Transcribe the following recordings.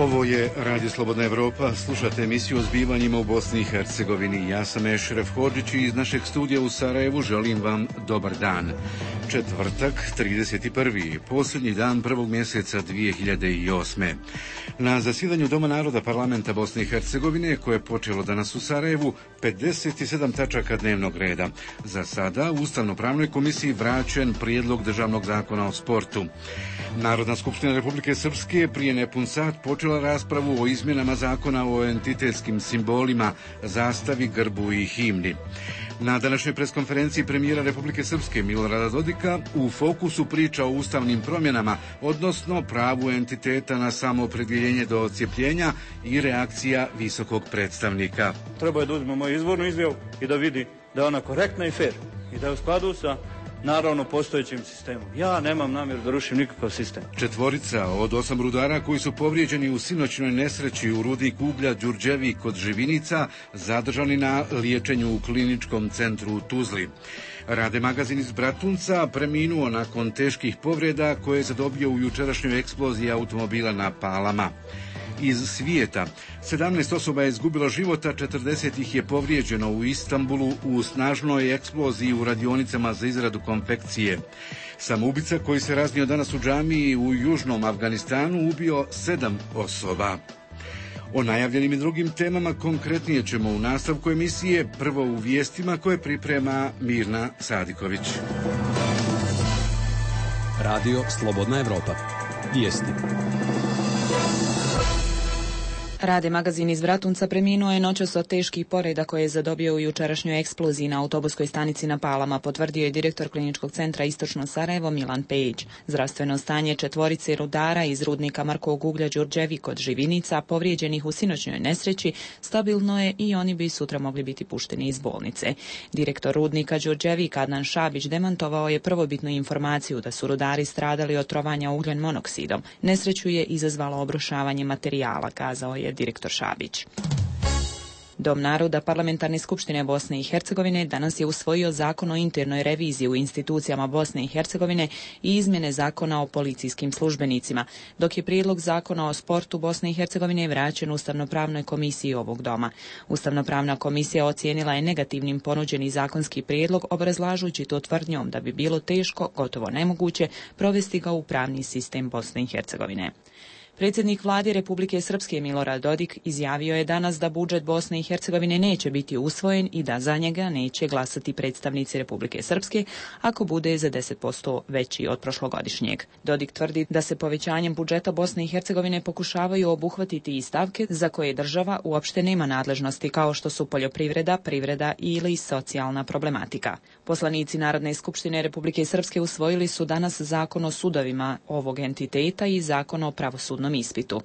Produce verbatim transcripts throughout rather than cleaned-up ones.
Ovo je Radio Slobodna Evropa, slušate emisiju o zbivanjima u Bosni i Hercegovini. Ja sam Ešref Hodžić i iz našeg studija u Sarajevu želim vam dobar dan. Četvrtak, trideset prvi posljednji dan prvog mjeseca dvije hiljade osme. Na zasjedanju Doma naroda Parlamenta Bosne i Hercegovine, koje je počelo danas u Sarajevu, pedeset sedam tačaka dnevnog reda. Za sada u Ustavno-pravnoj komisiji vraćen prijedlog državnog zakona o sportu. Narodna skupština Republike Srpske prije nepun sat počela raspravu o izmjenama zakona o entitetskim simbolima, zastavi, grbu i himni. Na današnjoj preskonferenciji premijera Republike Srpske Milorada Dodika u fokusu priča o ustavnim promjenama, odnosno pravu entiteta na samoopredjeljenje do odcijepljenja i reakcija visokog predstavnika. Treba je da uzme moju izvornu izjavu i da vidi da je ona korektna i fair i da je u skladu sa naravno postojećim sistemom. Ja nemam namjeru da rušim nikakav sistem. Četvorica od osam rudara koji su povrijeđeni u sinoćnoj nesreći u rudniku uglja Đurđevi kod Živinica zadržani na liječenju u kliničkom centru u Tuzli. Rade Magazin iz Bratunca preminuo nakon teških povreda koje je zadobio u jučerašnjoj eksploziji automobila na Palama. Iz svijeta, sedamnaest osoba je izgubilo života, četrdeset ih je povrijeđeno u Istanbulu u snažnoj eksploziji u radionicama za izradu konfekcije. Samoubica koji se raznio danas u džamiji u južnom Afganistanu ubio sedam osoba. O najavljenim i drugim temama konkretnije ćemo u nastavku emisije, prvo u vijestima koje priprema Mirna Sadiković. Radio Slobodna Evropa. Vijesti. Rade Magazin iz Bratunca preminuo je noćas od teških povreda koje je zadobio u jučerašnjoj eksploziji na autobuskoj stanici na Palama, potvrdio je direktor kliničkog centra Istočno Sarajevo Milan Pejić. Zdravstveno stanje četvorice rudara iz rudnika Markovog uglja Đurđevi kod Živinica, povrijeđenih u sinoćnoj nesreći, stabilno je i oni bi sutra mogli biti pušteni iz bolnice. Direktor rudnika Đurđevi Adnan Šabić demantovao je prvobitnu informaciju da su rudari stradali od trovanja ugljen monoksidom. Nesreću je izazvalo obrušavanje materijala, kazao je direktor Šabić. Dom naroda Parlamentarne skupštine Bosne i Hercegovine danas je usvojio zakon o internoj reviziji u institucijama Bosne i Hercegovine i izmjene zakona o policijskim službenicima, dok je prijedlog zakona o sportu Bosne i Hercegovine vraćen Ustavno-pravnoj komisiji ovog doma. Ustavno-pravna komisija ocijenila je negativnim ponuđeni zakonski prijedlog, obrazlažući to tvrdnjom da bi bilo teško, gotovo nemoguće, provesti ga u pravni sistem Bosne i Hercegovine. Predsjednik vlade Republike Srpske Milorad Dodik izjavio je danas da budžet Bosne i Hercegovine neće biti usvojen i da za njega neće glasati predstavnici Republike Srpske ako bude za deset posto veći od prošlogodišnjeg. Dodik tvrdi da se povećanjem budžeta Bosne i Hercegovine pokušavaju obuhvatiti i stavke za koje država uopšte nema nadležnosti, kao što su poljoprivreda, privreda ili socijalna problematika. Poslanici Narodne skupštine Republike Srpske usvojili su danas zakon o sudovima ovog entiteta i zakon o pravosudnom ispitu.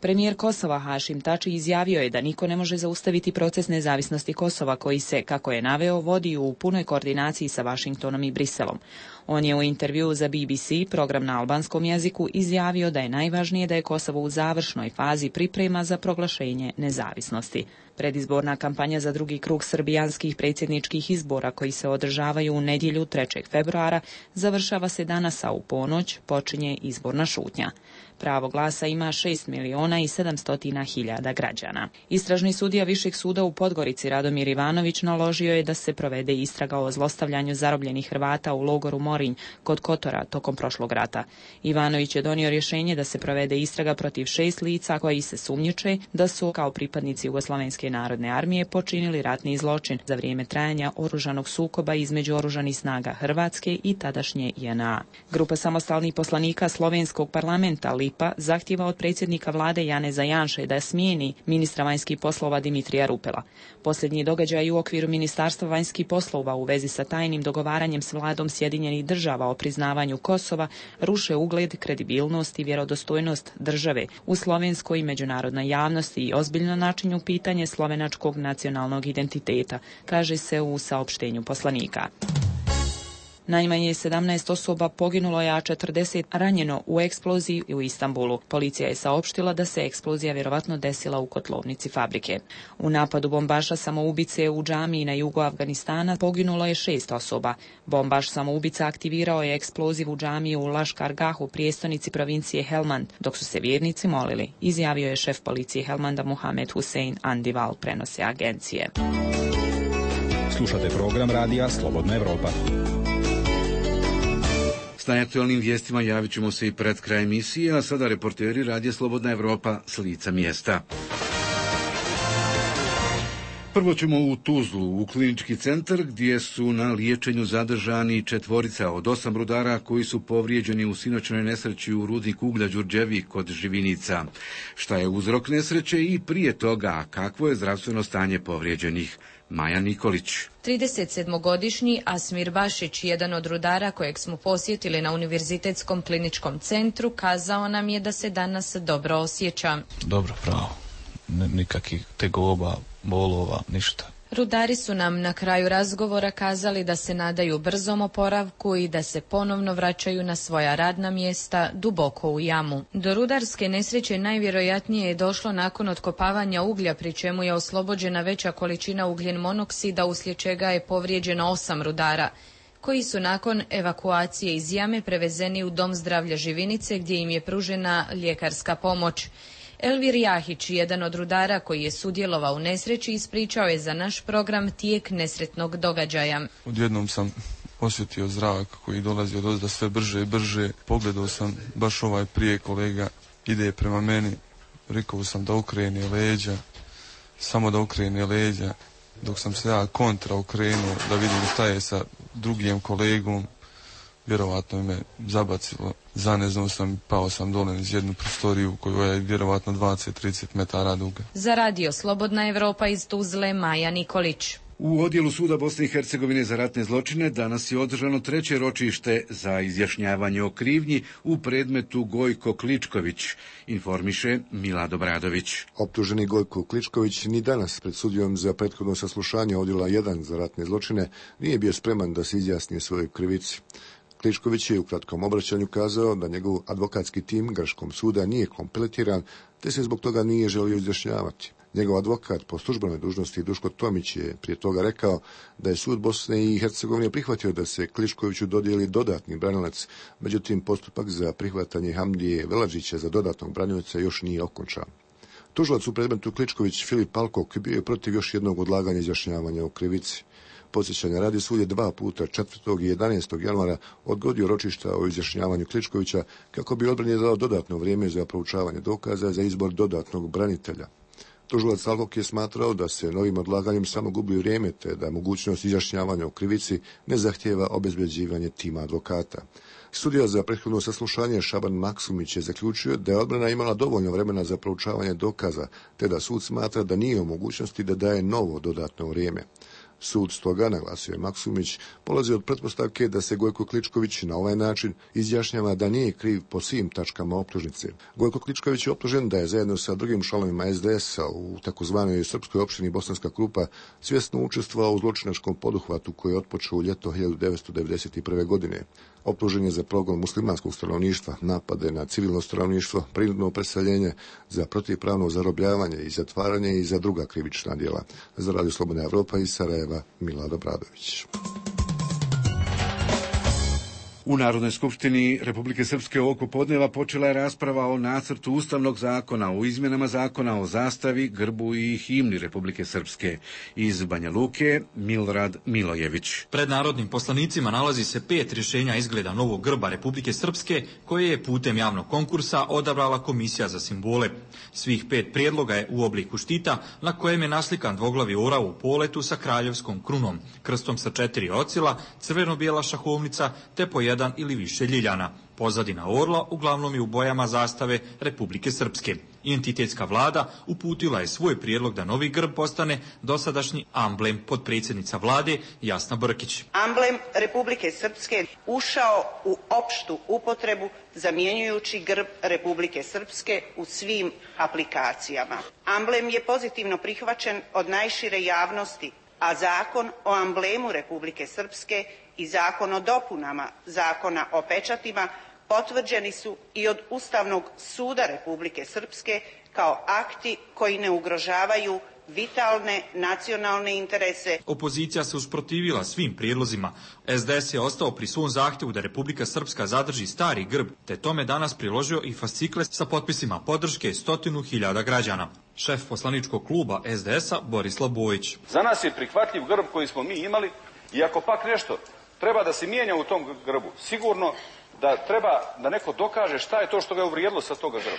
Premijer Kosova Hašim Tači izjavio je da niko ne može zaustaviti proces nezavisnosti Kosova koji se, kako je naveo, vodi u punoj koordinaciji sa Vašingtonom i Briselom. On je u intervjuu za B B C, program na albanskom jeziku, izjavio da je najvažnije da je Kosovo u završnoj fazi priprema za proglašenje nezavisnosti. Predizborna kampanja za drugi krug srbijanskih predsjedničkih izbora koji se održavaju u nedjelju trećeg februara završava se danas, a u ponoć počinje izborna šutnja. Pravo glasa ima šest miliona i sedamsto hiljada građana. Istražni sudija Višeg suda u Podgorici Radomir Ivanović naložio je da se provede istraga o zlostavljanju zarobljenih Hrvata u logoru Morinj kod Kotora tokom prošlog rata. Ivanović je donio rješenje da se provede istraga protiv šest lica koji se sumnjiče da su kao pripadnici Jugoslovenske narodne armije počinili ratni zločin za vrijeme trajanja oružanog sukoba između oružanih snaga Hrvatske i tadašnje J N A. Grupa samostalnih poslanika Slovenskog parlamenta Lipa zahtjeva od predsjednika vlade Janeza Janše da smijeni ministra vanjskih poslova Dimitrija Rupela. Posljednji događaj u okviru Ministarstva vanjskih poslova u vezi sa tajnim dogovaranjem s vladom Sjedinjenih država o priznavanju Kosova ruše ugled, kredibilnost i vjerodostojnost države u slovenskoj i međunarodnoj javnosti i ozbiljno načinju pitanje slovenačkog nacionalnog identiteta, kaže se u saopštenju poslanika. Najmanje sedamnaest osoba poginulo je, a četrdeset ranjeno u eksploziji u Istanbulu. Policija je saopštila da se eksplozija vjerovatno desila u kotlovnici fabrike. U napadu bombaša samoubice u džamiji na jugu Afganistana poginulo je šest osoba. Bombaš samoubica aktivirao je eksploziv u džamiji u Laškargahu, prijestolnici provincije Helmand, dok su se vjernici molili, izjavio je šef policije Helmanda Muhamed Hussein Andival, prenose agencije. Slušate program radija Slobodna Evropa. S najaktualnim vijestima javit ćemo se i pred kraj emisije, a sada reporteri radija Slobodna Evropa s lica mjesta. Prvo ćemo u Tuzlu, u klinički centar, gdje su na liječenju zadržani četvorica od osam rudara koji su povrijeđeni u sinoćnoj nesreći u rudniku uglja Đurđevi kod Živinica. Šta je uzrok nesreće i prije toga, kakvo je zdravstveno stanje povrijeđenih? Maja Nikolić. tridesetsedmogodišnji Asmir Bašić, jedan od rudara kojeg smo posjetili na Univerzitetskom kliničkom centru, kazao nam je da se danas dobro osjeća. Dobro, pravo. Nikakvih tegoba, bolova, ništa. Rudari su nam na kraju razgovora kazali da se nadaju brzom oporavku i da se ponovno vraćaju na svoja radna mjesta duboko u jamu. Do rudarske nesreće najvjerojatnije je došlo nakon otkopavanja uglja, pri čemu je oslobođena veća količina ugljen monoksida, uslijed čega je povrijeđeno osam rudara, koji su nakon evakuacije iz jame prevezeni u Dom zdravlja Živinice, gdje im je pružena ljekarska pomoć. Elvir Jahić, jedan od rudara koji je sudjelovao u nesreći, ispričao je za naš program tijek nesretnog događaja. Odjednom sam osjetio zrak koji dolazi od ozda sve brže i brže. Pogledao sam baš ovaj prije kolega, ide prema meni. Rekao sam da okrene leđa, samo da okrene leđa. Dok sam se ja kontra okrenuo da vidim šta je sa drugim kolegom, vjerovatno me zabacilo. Zaneznao sam, pao sam dole iz jednu prostoriju koja je vjerovatno dvadeset do trideset metara duga. Za radio Slobodna Evropa iz Tuzle, Maja Nikolić. U odjelu suda Bosne i Hercegovine za ratne zločine danas je održano treće ročište za izjašnjavanje o krivnji u predmetu Gojko Kličković, informiše Milado Bradović. Optuženi Gojko Kličković ni danas pred sudijom za prethodno saslušanje odjela jedan za ratne zločine nije bio spreman da se izjasni svojoj krivici. Kličković je u kratkom obraćanju kazao da njegov advokatski tim Grčkom suda nije kompletiran, te se zbog toga nije želio izjašnjavati. Njegov advokat po službenoj dužnosti Duško Tomić je prije toga rekao da je sud Bosne i Hercegovine prihvatio da se Kličkoviću dodijeli dodatni branilac, međutim postupak za prihvatanje Hamdije Veladžića za dodatnog branioca još nije okončan. Tužilac u predmetu Kličković Filip Alkok bio je protiv još jednog odlaganja izjašnjavanja o krivici. Podsjećanja radi, sud je dva puta četvrtog i jedanaestog januara odgodio ročišta o izjašnjavanju Kličkovića kako bi odbrani dao dodatno vrijeme za proučavanje dokaza za izbor dodatnog branitelja. Tužilac Alkok je smatrao da se novim odlaganjem samo gubi vrijeme, te da mogućnost izjašnjavanja o krivici ne zahtijeva obezbeđivanje tima advokata. Sudija za prethodno saslušanje Šaban Maksumić je zaključio da je odbrana imala dovoljno vremena za proučavanje dokaza, te da sud smatra da nije u mogućnosti da daje novo dodatno vrijeme. Sud stoga, naglasio je Maksumić, polazi od pretpostavke da se Gojko Kličković na ovaj način izjašnjava da nije kriv po svim tačkama optužnice. Gojko Kličković je optužen da je zajedno sa drugim članovima es de es-a u takozvanoj srpskoj opštini Bosanska Krupa svjesno učestvovao u zločinačkom poduhvatu koji je otpočeo u ljeto hiljadu devetsto devedeset prve. godine. Optužen je za progon muslimanskog stanovništva, napade na civilno stanovništvo, prinudno preseljenje, za protivpravno zarobljavanje i zatvaranje i za druga krivična djela. Za radio Slobodna Evropa iz Sarajeva, Milado Bradović. U Narodnoj skupštini Republike Srpske ovog popodneva počela je rasprava o nacrtu Ustavnog zakona o izmjenama zakona o zastavi, grbu i himni Republike Srpske. Iz Banja Luke, Milorad Milojević. Pred narodnim poslanicima nalazi se pet rješenja izgleda novog grba Republike Srpske koje je putem javnog konkursa odabrala Komisija za simbole. Svih pet prijedloga je u obliku štita na kojem je naslikan dvoglavi orao u poletu sa kraljevskom krunom, krstom sa četiri ocila, crveno-bijela šahovnica te po jedan ili više ljiljana. Pozadina orla uglavnom je u bojama zastave Republike Srpske. Identitetska vlada uputila je svoj prijedlog da novi grb postane dosadašnji amblem. Potpredsjednica vlade Jasna Brkić. Amblem Republike Srpske ušao u opštu upotrebu zamjenjujući grb Republike Srpske u svim aplikacijama. Amblem je pozitivno prihvaćen od najšire javnosti, a zakon o amblemu Republike Srpske i Zakon o dopunama Zakona o pečatima potvrđeni su i od Ustavnog suda Republike Srpske kao akti koji ne ugrožavaju vitalne nacionalne interese. Opozicija se usprotivila svim prijedlozima. es de es je ostao pri svom zahtjevu da Republika Srpska zadrži stari grb, te tome danas priložio i fascikle sa potpisima podrške stotinu hiljada građana. Šef poslaničkog kluba es de es-a Borislav Bojić. Za nas je prihvatljiv grb koji smo mi imali i ako pak nešto treba da se mijenja u tom grbu, sigurno da treba da neko dokaže šta je to što ga je uvrijedilo sa toga grba.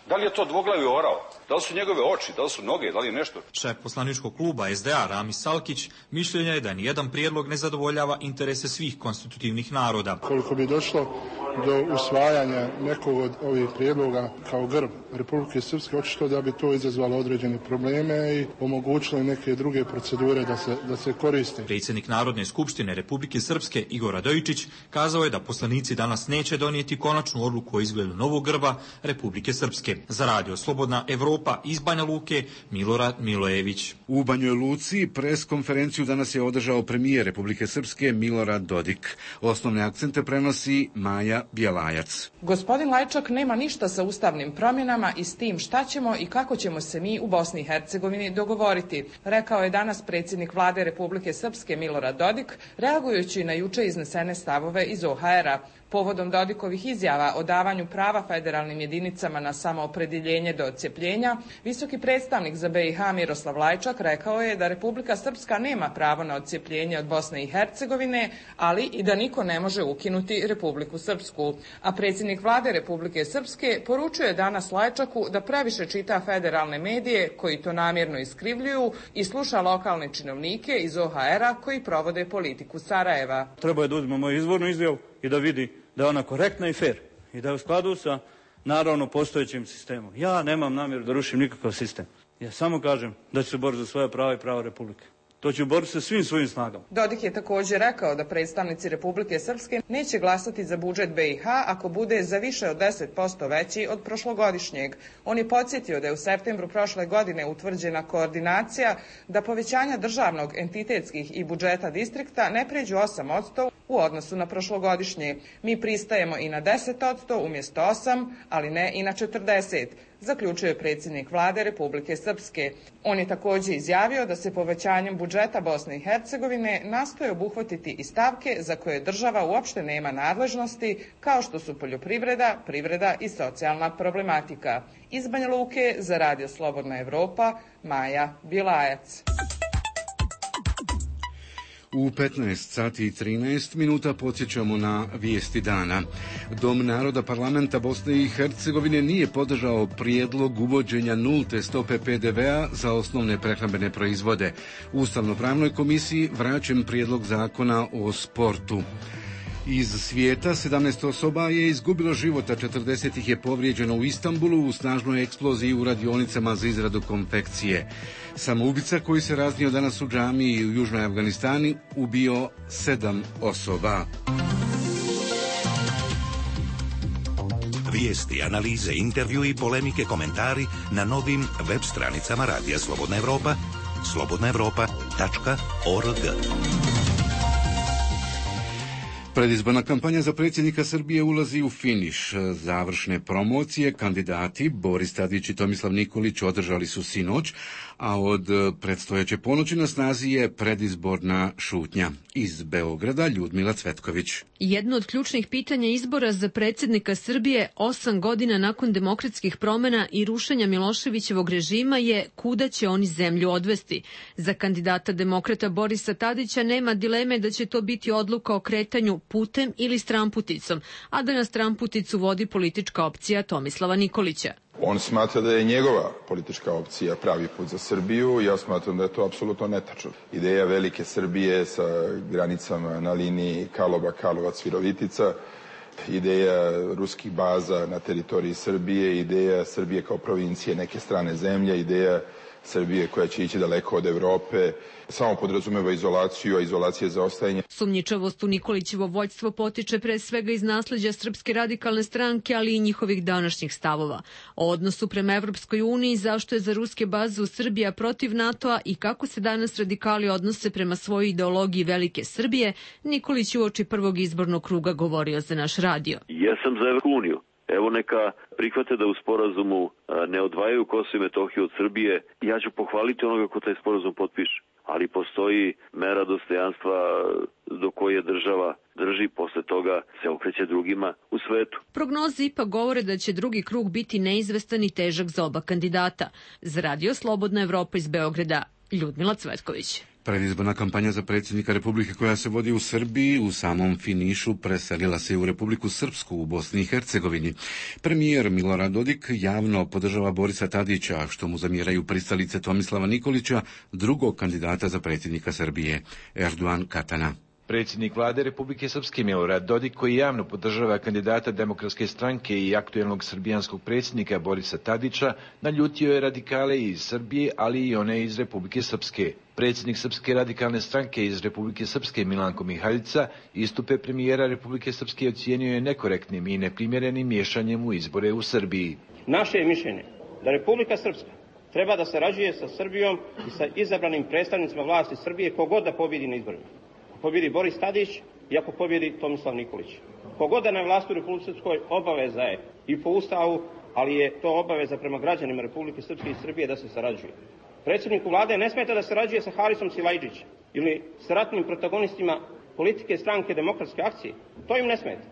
Da li je to dvoglavi orao? Da li su njegove oči? Da li su noge? Da li je nešto? Šef poslaničkog kluba es de a Ramis Salkić mišljenja je da nijedan prijedlog ne zadovoljava interese svih konstitutivnih naroda. Koliko bi došlo do usvajanja nekog od ovih prijedloga kao grb Republike Srpske, očito da bi to izazvalo određene probleme i omogućilo neke druge procedure da se, da se koriste. Predsjednik Narodne skupštine Republike Srpske Igor Radojičić kazao je da poslanici danas neće donijeti konačnu odluku o izgledu novog grba Republike Srpske. Za radio Slobodna Evropa iz Banja Luke, Milorad Milojević. U Banjoj Luci pres konferenciju danas je održao premijer Republike Srpske Milorad Dodik. Osnovne akcente prenosi Maja Bjelajac. Gospodin Lajčak nema ništa sa ustavnim promjenama i s tim šta ćemo i kako ćemo se mi u Bosni i Hercegovini dogovoriti, rekao je danas predsjednik vlade Republike Srpske Milorad Dodik, reagujući na juče iznesene stavove iz o ha era. Povodom Dodikovih izjava o davanju prava federalnim jedinicama na samoopredjeljenje do odcjepljenja, visoki predstavnik za be i ha Miroslav Lajčak rekao je da Republika Srpska nema pravo na odcjepljenje od Bosne i Hercegovine, ali i da niko ne može ukinuti Republiku Srpsku. A predsjednik vlade Republike Srpske poručuje danas Lajčaku da previše čita federalne medije koji to namjerno iskrivljuju i sluša lokalne činovnike iz o ha era koji provode politiku Sarajeva. Treba je da uzme moju izvornu izjavu i da vidi da je ona korektna i fer i da je u skladu sa naravno postojećim sistemom. Ja nemam namjeru da rušim nikakav sistem. Ja samo kažem da ću se boriti za svoja prava i prava Republike. To ću boriti sa svim svojim snagama. Dodik je također rekao da predstavnici Republike Srpske neće glasati za budžet be i ha ako bude za više od deset posto veći od prošlogodišnjeg. On je podsjetio da je u septembru prošle godine utvrđena koordinacija da povećanja državnog, entitetskih i budžeta distrikta ne pređu osam posto u odnosu na prošlogodišnje. Mi pristajemo i na deset posto umjesto osam, ali ne i na četrdeset posto. Zaključuje predsjednik vlade Republike Srpske. On je također izjavio da se povećanjem budžeta Bosne i Hercegovine nastoje obuhvatiti i stavke za koje država uopšte nema nadležnosti, kao što su poljoprivreda, privreda i socijalna problematika. Iz Banja Luke za radio Slobodna Evropa, Maja Bjelajac. U petnaest sati i trinaest minuta podsjećamo na vijesti dana. Dom naroda parlamenta Bosne i Hercegovine nije podržao prijedlog uvođenja nulte stope pe de ve a za osnovne prehrambene proizvode. Ustavno-pravnoj komisiji vraćen prijedlog zakona o sportu. Iz svijeta sedamnaest osoba je izgubilo života, četrdeset ih je povrijeđeno u Istanbulu u snažnoj eksploziji u radionicama za izradu konfekcije. Samoubica koji se raznio danas u džamiji u Južnoj Afganistani ubio sedam osoba. Vijesti, analize, intervju i polemike, komentari na novim web stranicama Radija Slobodna Evropa, slobodna evropa tačka org. Predizborna kampanja za predsjednika Srbije ulazi u finiš. Završne promocije kandidati Boris Tadić i Tomislav Nikolić održali su sinoć, a od predstojeće ponoći na snazi je predizborna šutnja. Iz Beograda Ljudmila Cvetković. Jedno od ključnih pitanja izbora za predsjednika Srbije osam godina nakon demokratskih promjena i rušenja Miloševićevog režima je kuda će oni zemlju odvesti. Za kandidata demokrata Borisa Tadića nema dileme da će to biti odluka o kretanju putem ili stramputicom, a da na stramputicu vodi politička opcija Tomislava Nikolića. On smatra da je njegova politička opcija pravi put za Srbiju i ja smatram da je to apsolutno netačno. Ideja velike Srbije sa granicama na liniji Karlovac-Virovitica, ideja ruskih baza na teritoriji Srbije, ideja Srbije kao provincije neke strane zemlje, ideja Srbije koja će ići daleko od Evrope, samo podrazumeva izolaciju, a izolacija je zaostajanje. Sumnjičavost u Nikolićevo vođstvo potiče pre svega iz nasleđa Srpske radikalne stranke, ali i njihovih današnjih stavova. O odnosu prema Evropskoj uniji, zašto je za ruske baze u Srbiji protiv NATO-a i kako se danas radikali odnose prema svojoj ideologiji Velike Srbije, Nikolić uoči prvog izbornog kruga govorio za naš radio. Ja sam za Evropsku uniju. Evo neka prihvate da u sporazumu ne odvajaju Kosovo i Metohiju od Srbije. Ja ću pohvaliti onoga ko taj sporazum potpiše. Ali postoji mera dostojanstva do koje država drži, posle toga se okreće drugima u svetu. Prognoze ipak govore da će drugi krug biti neizvestan i težak za oba kandidata. Za radio Slobodna Evropa iz Beograda, Ljudmila Cvetković. Predizborna kampanja za predsjednika Republike koja se vodi u Srbiji u samom finišu preselila se u Republiku Srpsku u Bosni i Hercegovini. Premijer Milorad Dodik javno podržava Borisa Tadića, što mu zamjeraju pristalice Tomislava Nikolića, drugog kandidata za predsjednika Srbije, Erdogan Katana. Predsjednik vlade Republike Srpske Milorad Dodik, koji javno podržava kandidata Demokratske stranke i aktuelnog srbijanskog predsjednika Borisa Tadića, naljutio je radikale iz Srbije, ali i one iz Republike Srpske. Predsjednik Srpske radikalne stranke iz Republike Srpske Milanko Mihaljica istupe premijera Republike Srpske ocijenio je nekorektnim i neprimjerenim miješanjem u izbore u Srbiji. Naše je mišljenje da Republika Srpska treba da sarađuje sa Srbijom i sa izabranim predstavnicima vlasti Srbije kogod da pobjedi na izborima. Pobjedi Boris Tadić i ako pobjedi Tomislav Nikolić. Kogoda na vlasti u Republike Srpskoj obaveza je i po Ustavu, ali je to obaveza prema građanima Republike Srpske i Srbije da se sarađuje. Predsjedniku vlade ne smeta da sarađuje sa Harisom Silajđićem ili sa ratnim protagonistima politike stranke Demokratske akcije. To im ne smeta.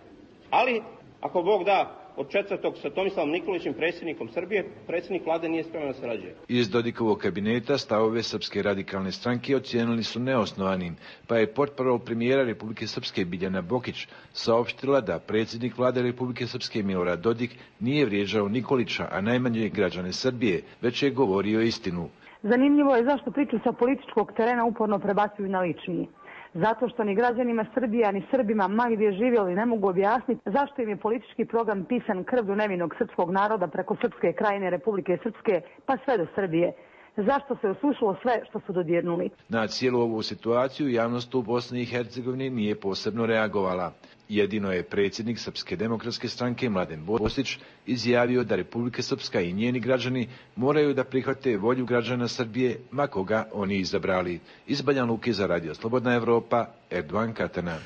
Ali, ako Bog da, od četvrtog sa Tomislavom Nikolićem, predsjednikom Srbije, predsjednik vlade nije spreman da sarađuje. Iz Dodikovog kabineta stavove Srpske radikalne stranke ocijenili su neosnovanim, pa je portparol premijera Republike Srpske Biljana Bokić saopštila da predsjednik vlade Republike Srpske Milorad Dodik nije vrijeđao Nikolića, a najmanje građane Srbije, već je govorio istinu. Zanimljivo je zašto priču sa političkog terena uporno prebacuju na lični. Zato što ni građanima Srbija, ni Srbima, ma gdje živjeli, ne mogu objasniti zašto im je politički program pisan krvlju nevinog srpskog naroda preko Srpske krajine Republike Srpske, pa sve do Srbije. Zašto se osušilo sve što su dodirnuli? Na cijelu ovu situaciju javnost u Bosni i Hercegovini nije posebno reagovala. Jedino je predsjednik Srpske demokratske stranke Mladen Bosić izjavio da Republika Srpska i njeni građani moraju da prihvate volju građana Srbije, ma koga oni izabrali. Iz Banja Luke za radio Slobodna Evropa, Erdogan Katana.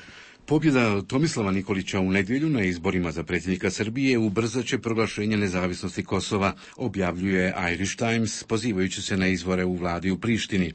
Pobjeda Tomislava Nikolića u nedjelju na izborima za predsjednika Srbije ubrzat će proglašenje nezavisnosti Kosova, objavljuje Irish Times, pozivajući se na izvore u vladi u Prištini.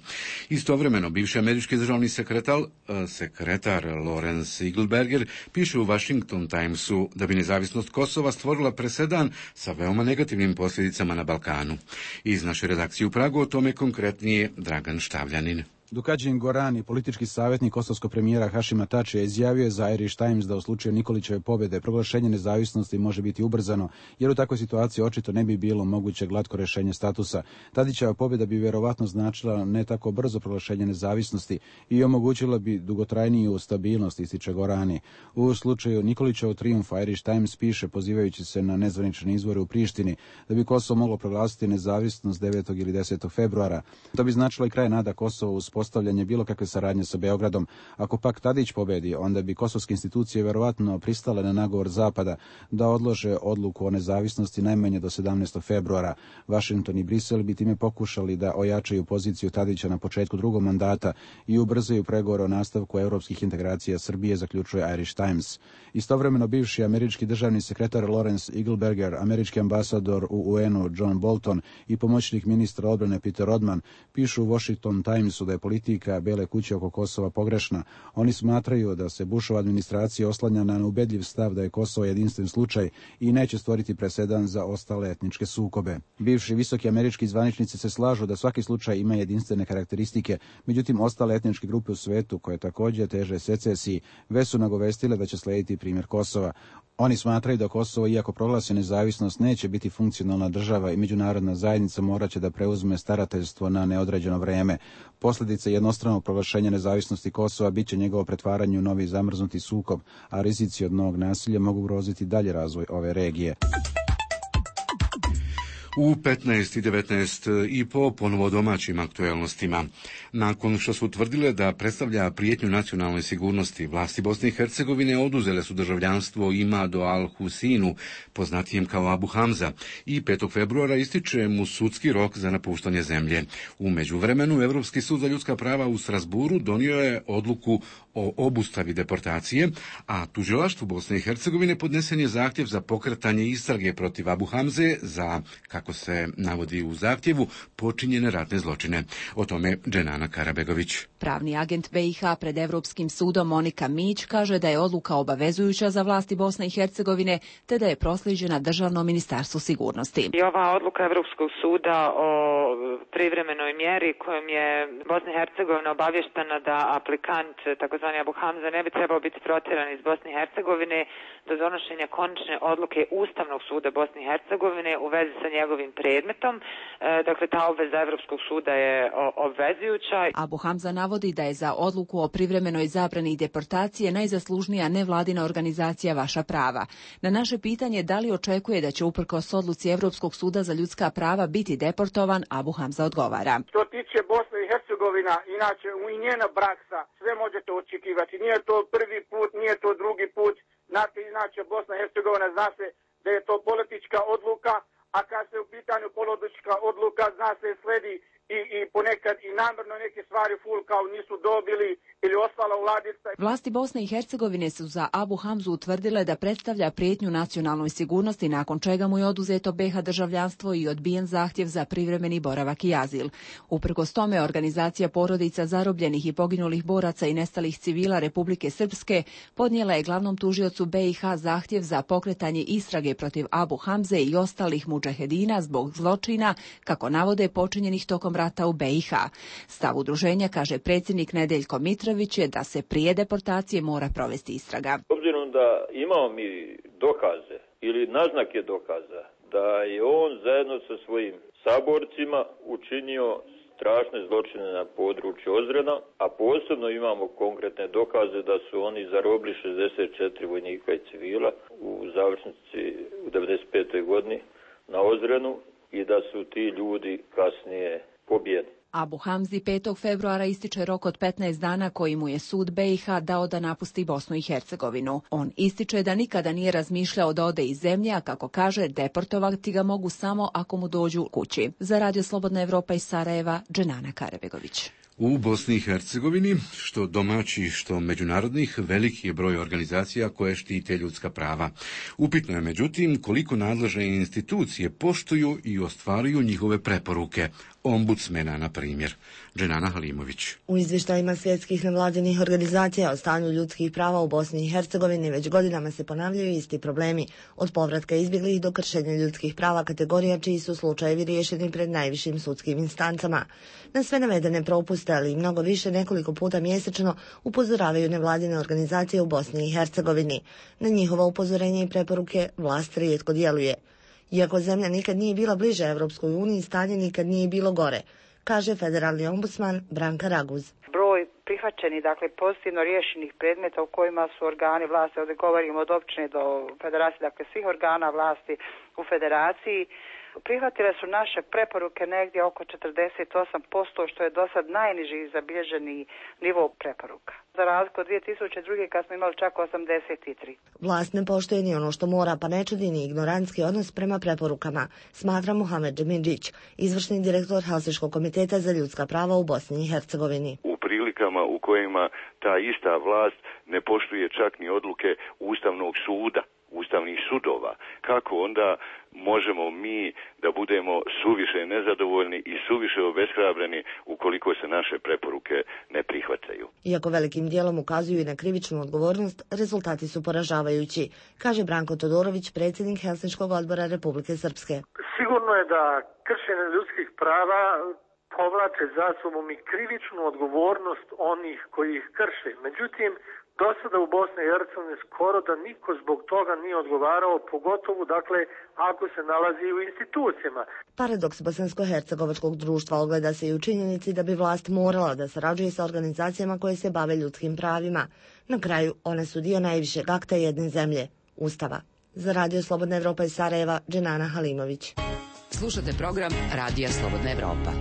Istovremeno, bivši američki državni sekretar, sekretar Lawrence Eagleberger piše u Washington Timesu da bi nezavisnost Kosova stvorila presedan sa veoma negativnim posljedicama na Balkanu. Iz naše redakcije u Pragu o tome konkretnije Dragan Štavljanin. Dukadžin Gorani, politički savjetnik kosovskog premijera Hašima Tačija, izjavio je za Irish Times da u slučaju Nikolićeve pobjede proglašenje nezavisnosti može biti ubrzano, jer u takvoj situaciji očito ne bi bilo moguće glatko rješenje statusa. Tadićeva pobjeda bi vjerovatno značila ne tako brzo proglašenje nezavisnosti i omogućila bi dugotrajniju stabilnost, ističe Gorani. U slučaju Nikolićevog trijumfa Irish Times piše, pozivajući se na nezvanične izvore u Prištini, da bi Kosovo moglo proglasiti nezavisnost devetog ili desetog februara. To bi značilo i kraj nada Kosova uz postavljanje bilo kakve saradnje sa Beogradom. Ako pak Tadić pobedi, onda bi kosovske institucije vjerovatno pristale na nagovor Zapada da odlože odluku o nezavisnosti najmanje do sedamnaestog februara. Washington i Brisel bi time pokušali da ojačaju poziciju Tadića na početku drugog mandata i ubrzaju pregovore o nastavku europskih integracija Srbije, zaključuje Irish Times. Istovremeno bivši američki državni sekretar Lawrence Eagleberger, američki ambasador u U N-u John Bolton i pomoćnik ministra odbrane Peter Rodman pišu u Washington Timesu da je politika Bele kuće oko Kosova pogrešna. Oni smatraju da se Bushova administracija oslanja na neubedljiv stav da je Kosovo jedinstven slučaj i neće stvoriti presedan za ostale etničke sukobe. Bivši visoki američki zvaničnici se slažu da svaki slučaj ima jedinstvene karakteristike, međutim ostale etničke grupe u svetu, koje također teže secesiji, već su nagovestile da će slijediti primjer Kosova. Oni smatraju da Kosovo, iako proglasi nezavisnost, neće biti funkcionalna država i međunarodna zajednica morat će da preuzme starateljstvo na neodređeno vrijeme. Posljedica jednostranog proglašenja nezavisnosti Kosova bit će njegovo pretvaranje u novi zamrznuti sukob, a rizici od novog nasilja mogu ugroziti dalje razvoj ove regije. U petnaest i devetnaest i po ponovo domaćim aktuelnostima. Nakon što su tvrdile da predstavlja prijetnju nacionalnoj sigurnosti, vlasti Bosne i Hercegovine oduzele su državljanstvo Imadu al-Husinu, poznatijem kao Abu Hamza, i petog februara ističe mu sudski rok za napuštanje zemlje. U međuvremenu, Evropski sud za ljudska prava u Strasburu donio je odluku o obustavi deportacije, a tužilaštvu Bosne i Hercegovine podnesen je zahtjev za pokretanje istrage protiv Abu Hamze za, kako se navodi u zahtjevu, počinjene ratne zločine. O tome Dženana Karabegović. Pravni agent B i H pred Evropskim sudom Monika Mić kaže da je odluka obavezujuća za vlasti Bosne i Hercegovine, te da je proslijeđena Državnom ministarstvu sigurnosti. I ova odluka Evropskog suda o privremenoj mjeri kojom je Bosna i Hercegovina obavještena da aplikant, takozvani Abu Hamza, ne bi trebao biti protjeran iz Bosne i Hercegovine do donošenja konačne odluke Ustavnog suda Bosne i Hercegovine u vezi sa njegovim predmetom. E, dakle, ta obveza Evropskog suda je obvezujuća. Abu Hamza navodi da je za odluku o privremenoj zabrani deportacije najzaslužnija nevladina organizacija Vaša prava. Na naše pitanje da li očekuje da će uprkos odluci Evropskog suda za ljudska prava biti deportovan, Abu Hamza odgovara. Što tiče Bosne i Hercegovina, inače i njena praksa, sve možete očekivati. Nije to prvi put, nije to drugi put. Znate, inače Bosna i Hercegovina zna se da je to politička odluka, a kad se u pitanju politička odluka zna se sledi i, i ponekad i namjerno neke stvari ful kao nisu dobili ili ostala u ladica. Vlasti Bosne i Hercegovine su za Abu Hamzu utvrdile da predstavlja prijetnju nacionalnoj sigurnosti, nakon čega mu je oduzeto B iH državljanstvo i odbijen zahtjev za privremeni boravak i azil. Uprkos tome, organizacija porodica zarobljenih i poginulih boraca i nestalih civila Republike Srpske podnijela je glavnom tužiocu B iH zahtjev za pokretanje istrage protiv Abu Hamze i ostalih mudžahedina zbog zločina, kako navode, počinjenih tokom rata u B iH. Stav udruženja, kaže predsjednik Nedeljko Mitrović, je da se prije deportacije mora provesti istraga. Obzirom da imamo mi dokaze ili naznake dokaza da je on zajedno sa svojim saborcima učinio strašne zločine na području Ozrena, a posebno imamo konkretne dokaze da su oni zarobili šezdeset četiri vojnika i civila u završnici u devedeset petoj godini na Ozrenu i da su ti ljudi kasnije pobijeni. Abu Hamzi petog februara ističe rok od petnaest dana koji mu je sud B iH dao da napusti Bosnu i Hercegovinu. On ističe da nikada nije razmišljao da ode iz zemlje, a kako kaže, deportovati ga mogu samo ako mu dođu kući. Za Radio Slobodna Evropa iz Sarajeva, Dženana Karabegović. U Bosni i Hercegovini, što domaći, što međunarodnih, veliki je broj organizacija koje štite ljudska prava. Upitno je, međutim, koliko nadležne institucije poštuju i ostvaruju njihove preporuke. Ombudsmena, na primjer. Dženana Halimović. U izvještajima svjetskih nevladinih organizacija o stanju ljudskih prava u Bosni i Hercegovini već godinama se ponavljaju isti problemi, od povratka izbjeglih do kršenja ljudskih prava kategorija čiji su slučajevi riješeni pred najvišim sudskim instancama. Na sve navedene propuste, ali i mnogo više, nekoliko puta mjesečno upozoravaju nevladine organizacije u Bosni i Hercegovini. Na njihova upozorenja i preporuke vlast rijetko djeluje. Iako zemlja nikad nije bila bliže Evropskoj uniji, stanje nikad nije bilo gore, kaže federalni ombudsman Branka Raguz. Broj prihvaćenih, dakle pozitivno riješenih predmeta u kojima su organi vlasti, ovdje govorimo od općine do federacije, dakle svih organa vlasti u federaciji, prihvatile su naše preporuke negdje oko četrdeset osam posto, što je do sad najniži zabilježeni nivo preporuka. Za razliku od dvije tisuće druge kad smo imali čak osamdeset tri. Vlast ne poštuje ni ono što mora, pa ne čudi ni ignorantski odnos prema preporukama, smatra Muhamed Džemidžić, izvršni direktor Helsinškog komiteta za ljudska prava u Bosni i Hercegovini. U prilikama u kojima ta ista vlast ne poštuje čak ni odluke Ustavnog suda, ustavnih sudova, kako onda možemo mi da budemo suviše nezadovoljni i suviše obeshrabreni ukoliko se naše preporuke ne prihvataju? Iako velikim dijelom ukazuju i na krivičnu odgovornost, rezultati su poražavajući, kaže Branko Todorović, predsjednik Helsinškog odbora Republike Srpske. Sigurno je da kršenje ljudskih prava povlače za sobom i krivičnu odgovornost onih koji ih krše. Međutim, do sada u Bosni i Hercegovini skoro da niko zbog toga nije odgovarao, pogotovo dakle ako se nalazi u institucijama. Paradoks bosansko-hercegovačkog društva ogleda se i u činjenici da bi vlast morala da sarađuje sa organizacijama koje se bave ljudskim pravima. Na kraju, one su dio najvišeg akta jedne zemlje, Ustava. Za Radio Slobodna Evropa iz Sarajeva, Dženana Halimović. Slušate program Radija Slobodna Evropa.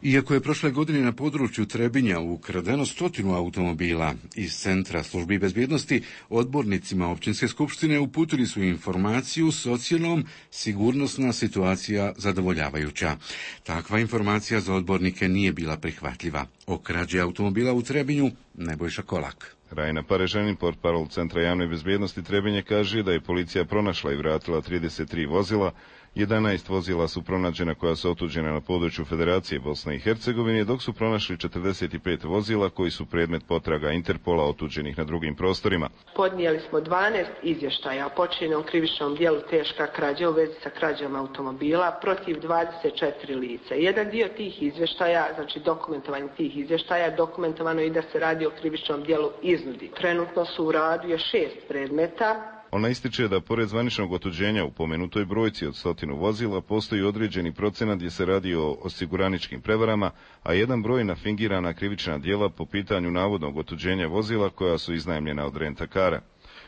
Iako je prošle godine na području Trebinja ukradeno stotinu automobila iz Centra službi bezbjednosti, odbornicima općinske skupštine uputili su informaciju s ocjenom sigurnosna situacija zadovoljavajuća. Takva informacija za odbornike nije bila prihvatljiva. O krađi automobila u Trebinju Nebojša Kolak. Rajna Parežanin, portparol Centra javne bezbjednosti Trebinje, kaže da je policija pronašla i vratila trideset tri vozila, jedanaest vozila su pronađena koja su otuđena na području Federacije Bosne i Hercegovine, dok su pronašli četrdeset pet vozila koji su predmet potraga Interpola otuđenih na drugim prostorima. Podnijeli smo dvanaest izvještaja o počinjenom krivičnom djelu teška krađa u vezi sa krađom automobila protiv dvadeset četiri lica. Jedan dio tih izvještaja, znači dokumentovanje tih izvještaja, dokumentovano i da se radi o krivičnom djelu iznudi. Trenutno su u radu još šest predmeta. Ona ističe da pored zvaničnog otuđenja u pomenutoj brojci od stotinu vozila postoji određeni procenat gdje se radi o osiguraničkim prevarama, a jedan broj na fingirana krivična djela po pitanju navodnog otuđenja vozila koja su iznajmljena od rentakara.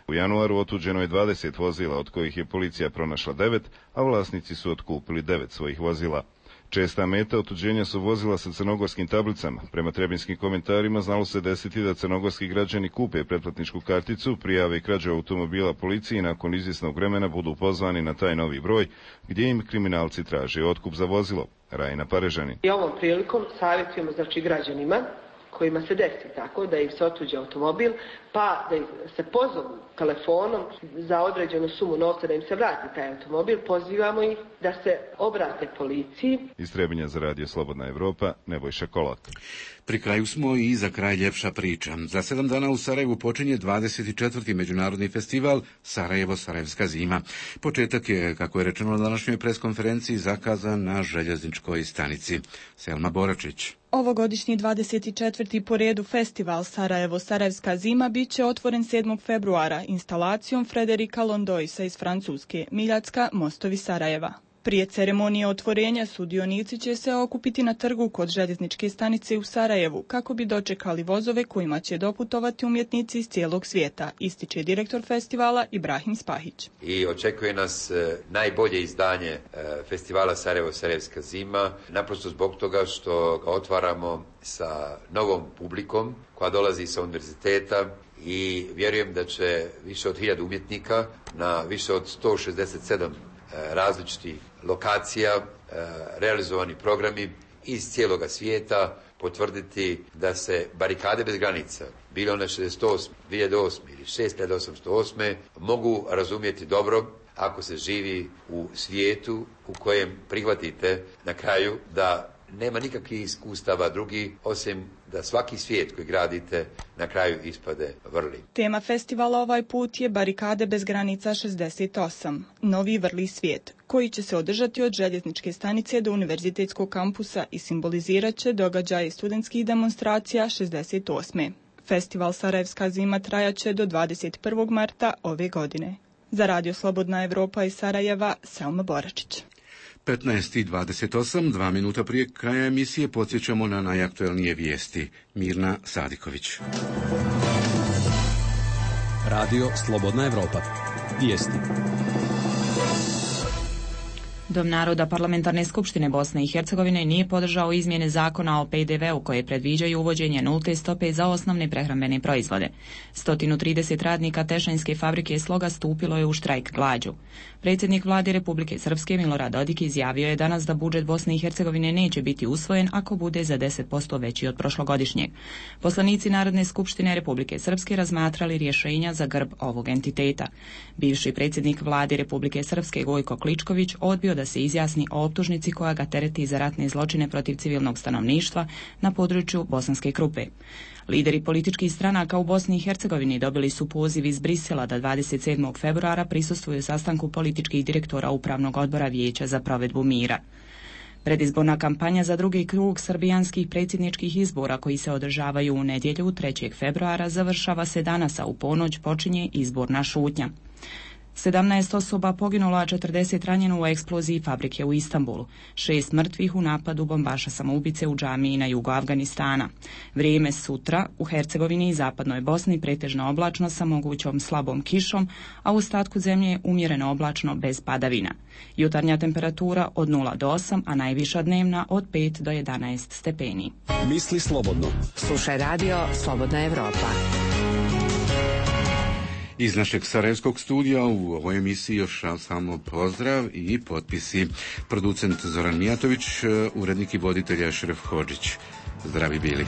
U januaru otuđeno je dvadeset vozila, od kojih je policija pronašla devet, a vlasnici su otkupili devet svojih vozila. Česta meta otuđenja su vozila sa crnogorskim tablicama. Prema trebinskim komentarima znalo se desiti da crnogorski građani kupe pretplatničku karticu, prijave krađu automobila policiji i nakon izvjesnog vremena budu pozvani na taj novi broj gdje im kriminalci traže otkup za vozilo. Rajna Parežanin. I ovom prilikom savjetujemo znači građanima kojima se desi tako da im se otuđe automobil, pa da se pozovu telefonom za određenu sumu novca da im se vrati taj automobil, pozivamo ih da se obrate policiji. Iz Trebinja za Radio Slobodna Evropa, Nebojša Kolak. Pri kraju smo i za kraj ljepša priča. Za sedam dana u Sarajevu počinje dvadeset četvrti međunarodni festival Sarajevo-Sarajevska zima. Početak je, kako je rečeno na današnjoj preskonferenciji, zakazan na željezničkoj stanici. Selma Boračić. Ovogodišnji dvadeset četvrti po redu festival Sarajevo-Sarajevska zima bit će otvoren sedmog februara instalacijom Frederika Londoisa iz Francuske, Miljacka, mostovi Sarajeva. Prije ceremonije otvorenja sudionici će se okupiti na trgu kod željezničke stanice u Sarajevu kako bi dočekali vozove kojima će doputovati umjetnici iz cijelog svijeta, ističe direktor festivala Ibrahim Spahić. I očekuje nas najbolje izdanje festivala Sarajevo-Sarajevska zima, naprosto zbog toga što ga otvaramo sa novom publikom koja dolazi sa univerziteta i vjerujem da će više od hiljadu umjetnika na više od sto šezdeset sedam različitih lokacija, realizovani programi iz cijeloga svijeta potvrditi da se barikade bez granica, bile one šezdeset osme, dvije hiljade osme ili šest hiljada osamsto osme, mogu razumjeti dobro ako se živi u svijetu u kojem prihvatite na kraju da nema nikakvih iskustava drugi, osim da svaki svijet koji gradite na kraju ispade vrli. Tema festivala ovaj put je Barikade bez granica šezdeset osam, novi vrli svijet, koji će se održati od željezničke stanice do univerzitetskog kampusa i simbolizirat će događaje studentskih demonstracija šezdeset osme. Festival Sarajevska zima trajaće do dvadeset prvog marta ove godine. Za Radio Slobodna Evropa iz Sarajeva, Selma Boračić. petnaest i dvadeset osam, dva minuta prije kraja emisije, podsjećamo na najaktuelnije vijesti. Mirna Sadiković. Radio Slobodna Evropa. Vijesti. Dom naroda Parlamentarne skupštine Bosne i Hercegovine nije podržao izmjene zakona o P D V-u koje predviđaju uvođenje nulte stope za osnovne prehrambene proizvode. sto trideset radnika Tešanjske fabrike Sloga stupilo je u štrajk glađu. Predsjednik vlade Republike Srpske Milorad Dodik izjavio je danas da budžet Bosne i Hercegovine neće biti usvojen ako bude za deset posto veći od prošlogodišnjeg. Poslanici Narodne skupštine Republike Srpske razmatrali rješenja za grb ovog entiteta. Bivši predsjednik vlade Republike Srpske Gojko Kličković odbio da se izjasni o optužnici koja ga tereti za ratne zločine protiv civilnog stanovništva na području Bosanske Krupe. Lideri političkih stranaka u Bosni i Hercegovini dobili su poziv iz Brisela da dvadeset sedmog februara prisustvuju sastanku političkih direktora Upravnog odbora Vijeća za provedbu mira. Predizborna kampanja za drugi krug srbijanskih predsjedničkih izbora koji se održavaju u nedjelju trećeg februara završava se danas, a u ponoć počinje izborna šutnja. sedamnaest osoba poginulo, a četrdeset ranjeno u eksploziji fabrike u Istanbulu. Šest mrtvih u napadu bombaša samoubice u džamiji na jugu Afganistana. Vrijeme sutra u Hercegovini i zapadnoj Bosni pretežno oblačno sa mogućom slabom kišom, a u ostatku zemlje umjereno oblačno bez padavina. Jutarnja temperatura od nula do osam, a najviša dnevna od pet do jedanaest stepeni. Misli slobodno. Slušaj radio Slobodna Evropa. Iz našeg sarajevskog studija u ovoj emisiji još samo pozdrav i potpisi. Producent Zoran Mijatović, urednik i voditelj Ašref Hodžić. Zdravi bili.